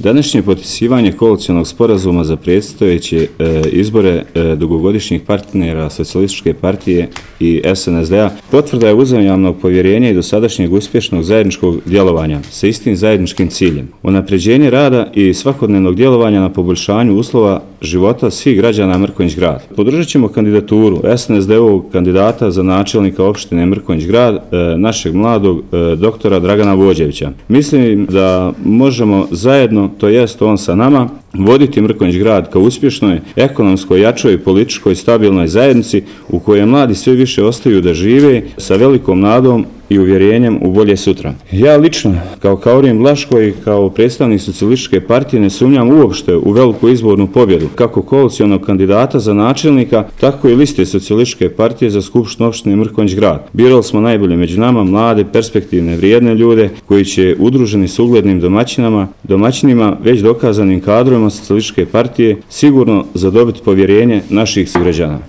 Današnje potpisivanje koalicionog sporazuma za predstojeće izbore dugogodišnjih partnera Socijalističke partije i SNSD-a potvrda je uzajamnog povjerenja i dosadašnjeg uspješnog zajedničkog djelovanja sa istim zajedničkim ciljem. Unapređenje rada i svakodnevnog djelovanja na poboljšanju uslova života svih građana Mrkonjić Grad. Podržat ćemo kandidaturu SNSD-ovog kandidata za načelnika opštine Mrkonjić Grad, našeg mladog doktora Dragana Vođevića. Mislim da možemo zajedno, to jest on sa nama, voditi Mrkonjić Grad kao uspješnoj, ekonomskoj, jačoj, političkoj, stabilnoj zajednici u kojoj mladi sve više ostaju da žive sa velikom nadom i uvjerenjem u bolje sutra. Ja lično, kao Kaurin Blaško i kao predstavnik Socijalističke partije, ne sumnjam uopšte u veliku izbornu pobjedu, kako koalicionog kandidata za načelnika, tako i liste Socijalističke partije za skupštinu opštine Mrkonjić Grad. Birali smo najbolje među nama, mlade, perspektivne, vrijedne ljude koji će udruženi s uglednim domaćinima, već dokazanim kadrovima Socijalističke partije, sigurno zadobiti povjerenje naših sugrađana.